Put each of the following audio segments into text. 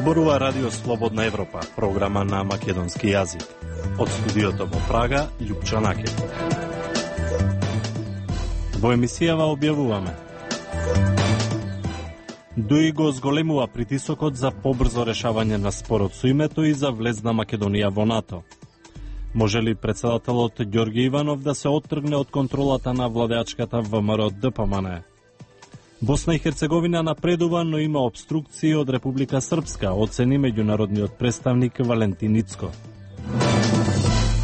Зборува Радио Слободна Европа, програма на македонски јазик. Од студиото во Прага, Љупчо Накев. Во емисијава објавуваме: ДУИ го зголемува притисокот за побрзо решавање на спорот со името и за влез на Македонија во НАТО. Може ли председателот Ѓорѓе Иванов да се оттргне од контролата на владеачката ВМРО ДПМН? Босна и Херцеговина напредува, но има обструкции од Република Српска, оцени меѓународниот представник Валентин Ицко.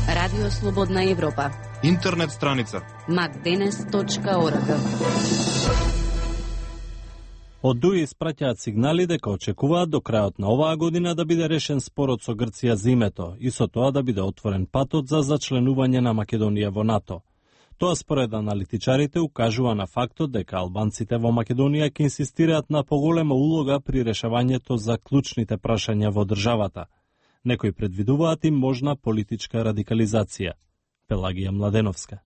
Радио Слободна Европа. Интернет страница macdenes.org. Од ДУИ испраќаат сигнали дека очекуваат до крајот на оваа година да биде решен спорот со Грција за името и со тоа да биде отворен патот за зачленување на Македонија во НАТО. Тоа според аналитичарите укажува на фактот дека албанците во Македонија ќе инсистираат на поголема улога при решавањето за клучните прашања во државата. Некои предвидуваат и можна политичка радикализација. Пелагија Младеновска.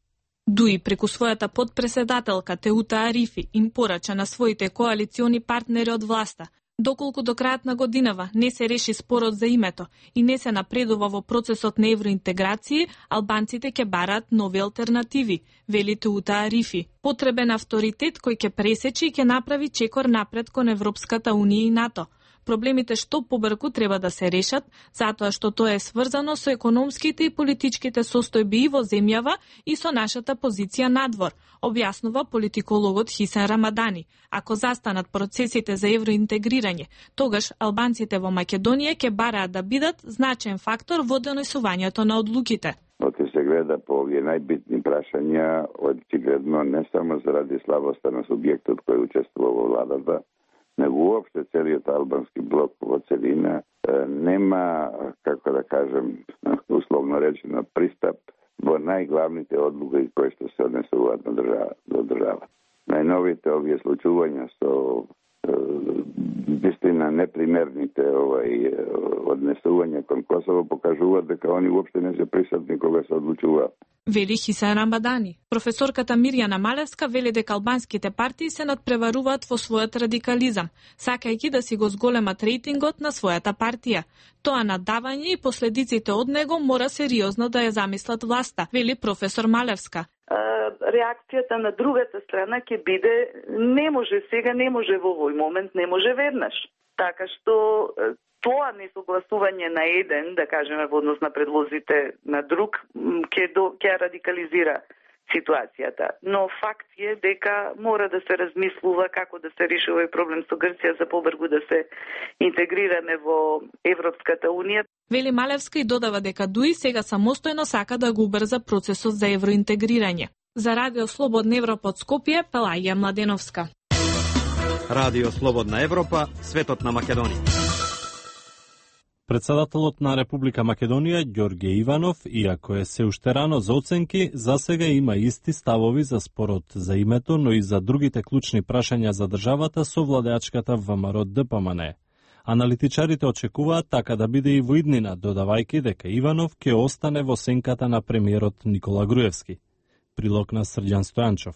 ДУИ преку својата подпредседателка Теута Арифи им порача на своите коалициони партнери од власта: доколку до крајот на годинава не се реши спорот за името и не се напредува во процесот на евроинтеграција, албанците ќе бараат нови алтернативи, вели Теута Арифи. Потребен авторитет кој ќе пресечи и ќе направи чекор напред кон Европската унија и НАТО. Проблемите што побрзо треба да се решат, затоа што тоа е сврзано со економските и политичките состојби и во земјава и со нашата позиција надвор, објаснува политикологот Хисен Рамадани. Ако застанат процесите за евроинтегрирање, тогаш албанците во Македонија ќе бараат да бидат значаен фактор во донесувањето на одлуките. Оте се гледа по овие најбитни прашања, очигледно не само заради слабоста на субјектот кој учествува во владата, него уопште целиот албански блок во целина нема, како да кажем, условно речено, пристап во најглавните одлуки кои што се однесуваат на држава. Најновите овие случувања со вистина непримерните однесувања кон Косово покажуваат дека они уопште не се присутни кога се одлучуваат. Вели Хисен Рамадани. Професорката Мирјана Малевска вели дека албанските партии се надпреваруваат во својот радикализам, сакајќи да си го зголемат рейтингот на својата партија. Тоа надавање и последиците од него мора сериозно да ја замислат власта, вели професор Малевска. Реакцијата на другата страна ќе биде не може сега, не може во овој момент, не може веднаш. Така што тоа несогласување на еден, да кажеме во однос на предлозите на друг, ќе радикализира ситуацијата. Но факт е дека мора да се размислува како да се реши овој проблем со Грција за побрзо да се интегрираме во Европската унија. Вели Малевска и додава дека ДУИ сега самостојно сака да го убрза процесот за евроинтегрирање. За Радио Слободна Европа од Скопје, Пелагија Младеновска. Радио Слободна Европа, светот на Македонија. Председателот на Република Македонија, Ѓорѓе Иванов, иако е се уште рано за оценки, засега има исти ставови за спорот за името, но и за другите клучни прашања за државата со владеачката ВМРО ДПМН. Аналитичарите очекуваат така да биде и во иднина, додавајќи дека Иванов ќе остане во сенката на премиерот Никола Груевски. Прилог на Срđan Стојанчов.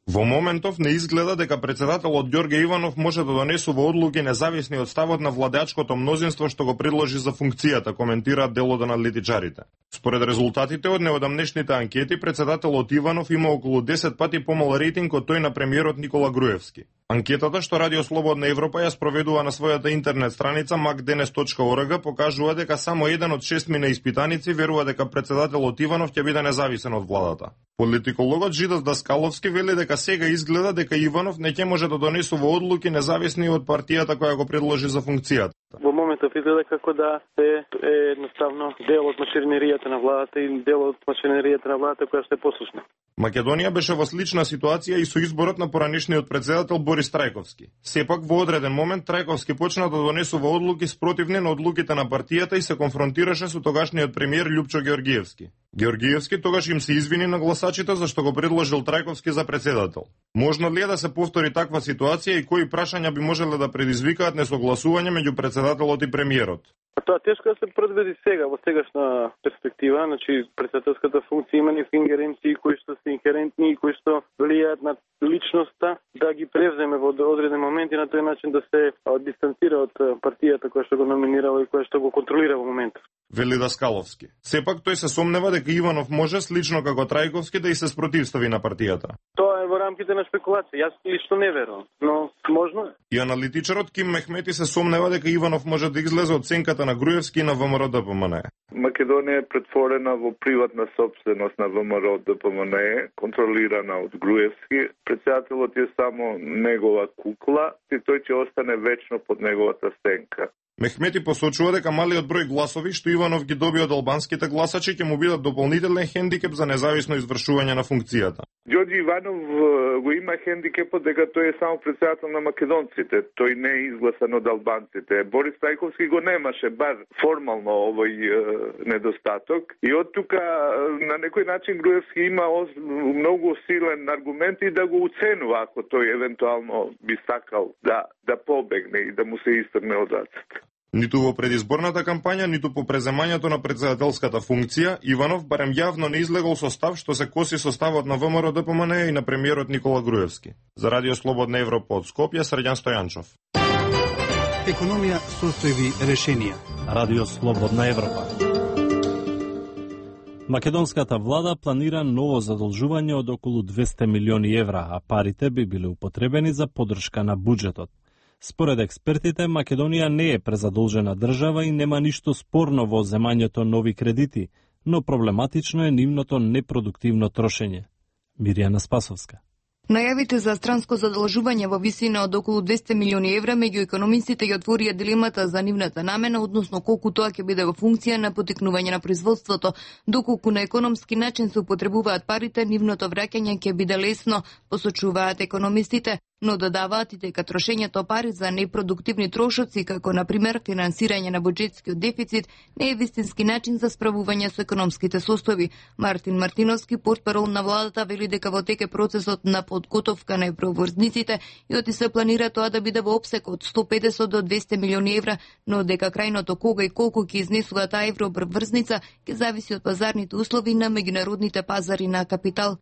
Во моментов не изгледа дека председателот Ѓорѓе Иванов може да донесува одлуки независни од ставот на владеачкото мнозинство што го предложи за функцијата, коментираат дел од аналитичарите. Според резултатите од неодамнешните анкети, председателот Иванов има околу 10 пати помал рейтинг од тој на премиерот Никола Груевски. Анкетата што Радио Слободна Европа ја спроведува на својата интернет страница macdenes.org покажува дека само еден од 6 испитаници верува дека председателот Иванов ќе биде независен од владата. Политикологот Жидос Даскаловски вели дека сега изгледа дека Иванов не ќе може да донесува одлуки независни од партијата која го предложи за функцијата. Во моментов изгледа како да е едноставно дел од машиneријата на владата и дел од машиneријата на владата која што е послушна. Македонија беше во слична ситуација и со изборот на поранешниот председател Борис Трајковски. Сепак во одреден момент Трајковски почна да донесува одлуки спротивни на одлуките на партијата и се конфронтираше со тогашниот премиер Љупчо Ѓорѓиевски. Ѓорѓиевски тогаш им се извини на гласачите зашто го предложил Трајковски за председател. Можно ли е да се повтори таква ситуација и кои прашања би можеле да предизвикаат несогласување меѓу председателот и премиерот? Тоа тешко да се предвиди сега, во сегашна перспектива, значи председателската функција има некои ингеренции кои што се инхерентни и кои што влијаат на личноста да ги превземе во одреден момент и на тој начин да се дистанцира од партијата која што го номинирала и која што го контролира во моментот. Вели Даскаловски. Сепак тој се сомнева дека Иванов може слично како Трајковски да и се спротивстави на партијата. Тоа е во рамките на спекулација. Јас лично не верувам, но можно е. И аналитичарот Ким Мехмети се сомнева дека Иванов може да излезе од сенката на Груевски и на ВМРО-ДПМНЕ. Македонија е претворена во приватна собственост на ВМРО-ДПМНЕ, контролирана од Груевски. Председателот е само негова кукла и тој ќе остане вечно под неговата сенка. Мехмети посочува дека малиот број гласови што Иванов ги доби од албанските гласачи ќе му бидат дополнителен хендикеп за независно извршување на функцијата. Ѓорѓи Иванов го има хендикепот дека тој е само председател на македонците, тој не е изгласан од албанците. Борис Трајковски го немаше бар формално овој недостаток и од тука на некој начин Груевски има многу силен аргумент и да го уценува ако тој евентуално би сакал да побегне и да му се истрне од рацете. Ниту во предизборната кампања, ниту по преземањето на председателската функција, Иванов барем јавно не излегол со став што се коси со ставот на ВМРО-ДПМНЕ и на премиерот Никола Груевски. За Радио Слободна Европа од Скопје, Срđan Стојанчов. Економија, состојби, решенија. Радио Слободна Европа. Македонската влада планира ново задолжување од околу 200 милиони евра, а парите би биле употребени за поддршка на буџетот. Според експертите, Македонија не е презадолжена држава и нема ништо спорно во земањето нови кредити, но проблематично е нивното непродуктивно трошење. Мирјана Спасовска. Најавите за странско задолжување во висина од околу 200 милиони евра меѓу економистите ја отворија дилемата за нивната намена, односно колку тоа ќе биде во функција на поттикнување на производството. Доколку на економски начин се употребуваат парите, нивното враќање ќе биде лесно, посочуваат економистите, но додаваат и дека трошењето пари за непродуктивни трошоци, како на пример финансирање на буџетскиот дефицит, не е вистински начин за справување со економските состојби. Мартин Мартиновски, портпарол на владата, вели дека во тек е процесот на подготовка на евроврзниците и оти се планира тоа да биде во опсек од 150 до 200 милиони евра, но дека крајното кога и колку ќе изнесува таа евроврзница ќе зависи од пазарните услови на меѓународните пазари на капитал.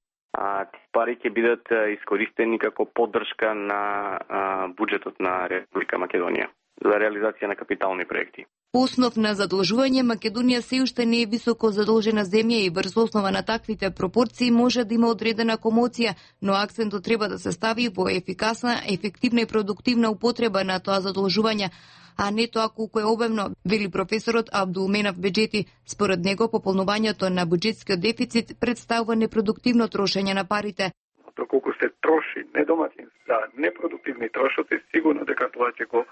Пари ќе бидат искористени како поддршка на буџетот на Република Македонија за реализација на капитални проекти. По основ на задолжување, Македонија се уште не е високо задолжена земја и врз основа на таквите пропорции може да има одредена комоција, но акцентот треба да се стави во ефикасна, ефективна и продуктивна употреба на тоа задолжување, а не тоа колку е обемно, вели професорот Абдулменав Беџети. Според него, пополнувањето на буџетскиот дефицит представува непродуктивно трошење на парите. Доколку се троши недоматин за непродуктивни трошоци, сигурно дека тоа ќе го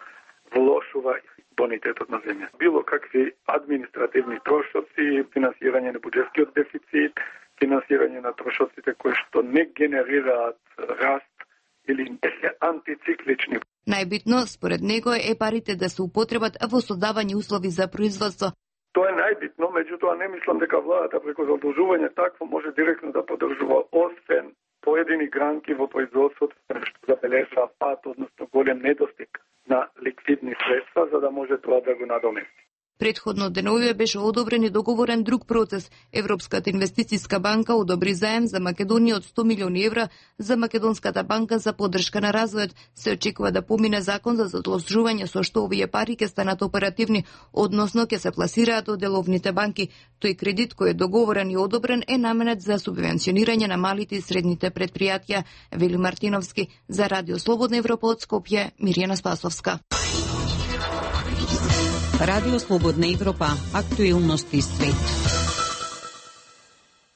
влошува бонитетот на земја. Било какви административни трошоци, финансирање на буџетскиот дефицит, финансирање на трошоците кои што не генерираат раст или не се антициклични. Најбитно, според него, е парите да се употребат во создавање услови за производство. Тоа е најбитно, меѓутоа не мислам дека владата преку задолжување такво може директно да поддржува, освен поедини гранки во производството што забележува пат, односно голем недостиг на ликвидни средства, за да може тоа да го надомести. Предходно деновиве беше одобрен и договорен друг процес. Европската инвестицијска банка одобри заем за Македонија од 100 милиони евра за Македонската банка за поддршка на развојот. Се очекува да помине закон за задолжување со што овие пари ќе станат оперативни, односно ќе се пласираат од деловните банки. Тој кредит кој е договорен и одобрен е наменет за субвенционирање на малите и средните предпријатија, вели Мартиновски. За Радио Слободна Европа од Скопје, Мирјана Спасовска. Радио Слободна Европа, актуелности свет.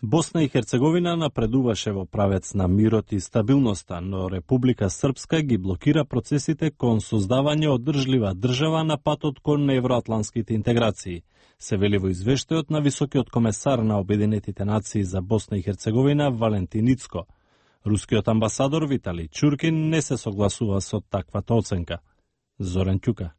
Босна и Херцеговина напредуваше во правец на мирот и стабилноста, но Република Српска ги блокира процесите кон создавање одржлива држава на патот кон евроатланските интеграции. Се вели во извештајот на високиот комесар на Обединетите нации за Босна и Херцеговина Валентин Ицко. Рускиот амбасадор Виталий Чуркин не се согласува со таквата оценка. Зоран Ќука.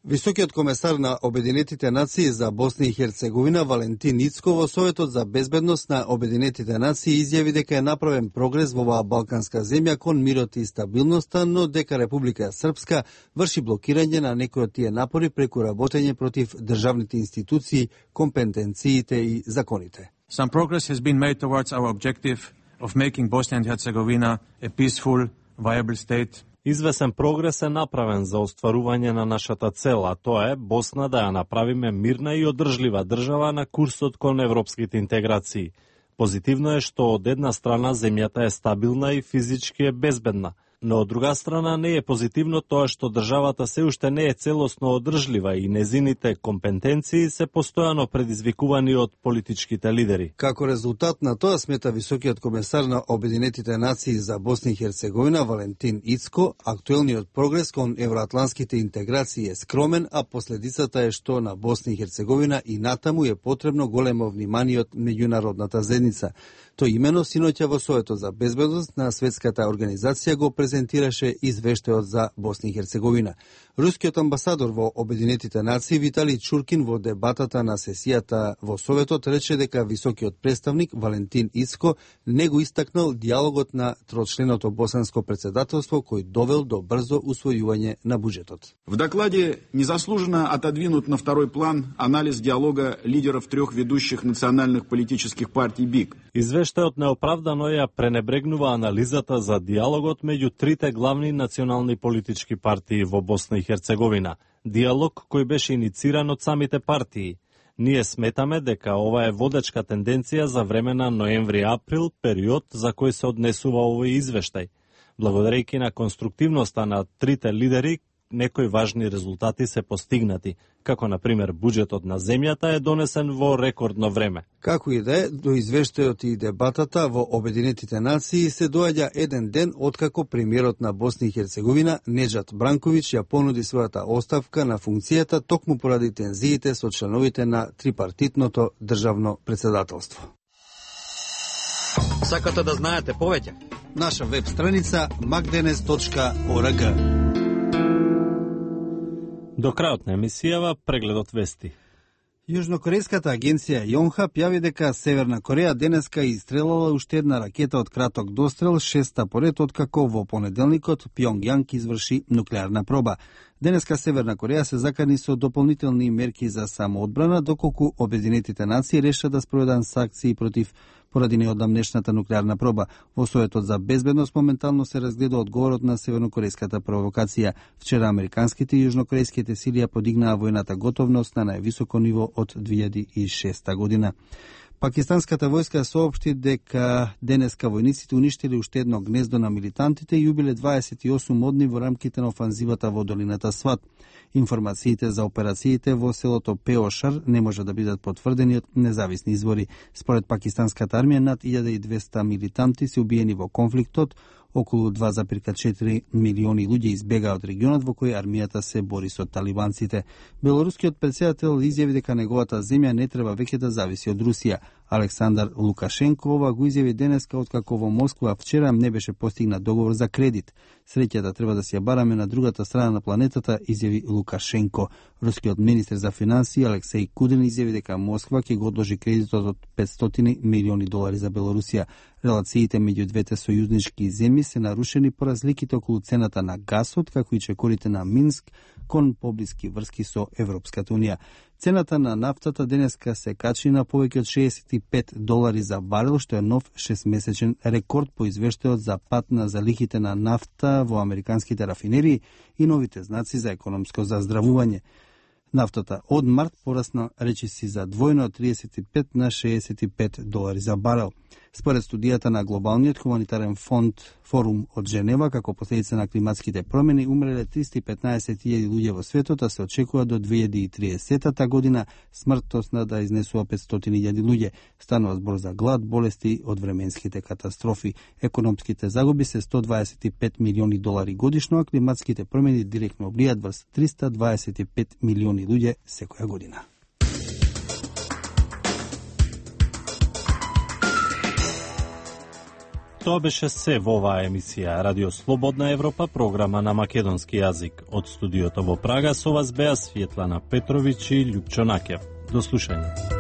Високиот комесар на Обединетите нации за Босна и Херцеговина Валентин Ицко во Советот за безбедност на Обединетите нации изјави дека е направен прогрес во оваа балканска земја кон мирот и стабилноста, но дека Република Српска врши блокирање на некои од тие напори преку работење против државните институции, компетенциите и законите. Some progress has been made towards our objective of making Bosnia and Herzegovina a peaceful, viable state. Извесен прогрес е направен за остварување на нашата цел, а тоа е Босна да ја направиме мирна и одржлива држава на курсот кон европските интеграции. Позитивно е што од една страна земјата е стабилна и физички е безбедна, но од друга страна не е позитивно тоа што државата се уште не е целосно одржлива и незините компетенции се постојано предизвикувани од политичките лидери. Како резултат на тоа, смета високиот комесар на Обединетите нации за Босна и Херцеговина Валентин Ицко, актуелниот прогрес кон евроатланските интеграции е скромен, а последицата е што на Босна и Херцеговина и натаму е потребно големо внимание од меѓународната заедница. Тој имено синоќа во Советот за безбедност на Светската организација го презентираше извештајот за Босна и Херцеговина. Рускиот амбасадор во Обединетите нации Виталий Чуркин во дебатата на сесијата во Советот рече дека високиот представник Валентин Ицко не го истакнал диалогот на трочленото босанско председателство кој довел до брзо усвојување на буџетот. В докладе незаслуженно отодвинут на второй план анализ диалога лидеров трех ведущих национальных политических партий БИК. Извештајот неоправдано ја пренебрегнува анализата за диалогот меѓу трите главни национални политички партии во Босна и Херцеговина. Диалог кој беше инициран од самите партии. Ние сметаме дека ова е водечка тенденција за време на ноември-април, период за кој се однесува овој извештај. Благодарејќи на конструктивноста на трите лидери, некои важни резултати се постигнати, како на пример буџетот на земјата е донесен во рекордно време. Како и да е, до извештајот и дебатата во Обединетите нации се доаѓа еден ден откако премиерот на Босна и Херцеговина Неџат Бранковиќ ја понуди својата оставка на функцијата токму поради тензиите со членовите на трипартитното државно председателство. Сакате да знаете повеќе? Наша веб страница magdenes.org. До крајот на емисијава прегледот вести. Јужнокорејската агенција Јонхап јави дека Северна Кореја денеска истрелала уште една ракета од краток дострел, шеста поред откако во понеделникот Пјонгјанг изврши нуклеарна проба. Денеска Северна Кореја се закани со дополнителни мерки за самоодбрана, доколку Обединетите нации реша да спроведат санкции против поради неодамнешната нуклеарна проба. Во Советот за безбедност моментално се разгледа одговорот на севернокорејската провокација. Вчера американските и јужнокорејските сили ја подигнаа војната готовност на највисоко ниво од 2006 година. Пакистанската војска соопшти дека денеска војниците уништили уште едно гнездо на милитантите и убиле 28 одни во рамките на офанзивата во долината Сват. Информациите за операциите во селото Пеошар не може да бидат потврдени од независни извори. Според пакистанската армија, над 1200 милитанти се убиени во конфликтот, околу 2,4 милиони луѓе избегаа од регионот во кој армијата се бори со талибанците. Белорускиот претседател изјави дека неговата земја не треба веќе да зависи од Русија. Александар Лукашенко ова го изјави денеска откако во Москва вчера не беше постигнат договор за кредит. Среќата треба да си ја бараме на другата страна на планетата, изјави Лукашенко. Рускиот министер за финансии Алексеј Кудрин изјави дека Москва ќе го одложи кредитот од 500 милиони долари за Белорусија. Релациите меѓу двете сојузнички земји се нарушени по разликите околу цената на гасот, како и чекорите на Минск кон поблиски врски со Европската унија. Цената на нафтата денеска се качи на повеќе од 65 долари за барел, што е нов 6-месечен рекорд по извештајот за пат на залихите на нафта во американските рафинерии и новите знаци за економско заздравување. Нафтата од март порасна речиси за двојно од 35 на 65 долари за барел. Според студијата на Глобалниот хуманитарен фонд Форум од Женева, како последица на климатските промени, умреле 315.000 луѓе во светот, а се очекува до 2030 година смртноста да изнесува 500.000 луѓе. Станува збор за глад, болести од временските катастрофи. Економските загуби се 125 милиони долари годишно, а климатските промени директно влијат врз 325 милиони луѓе секоја година. Тоа беше се во оваа емисија Радио Слободна Европа, програма на македонски јазик. Од студиото во Прага со вас беа Светлана Петровиќ и Љупчо Накев. До слушање.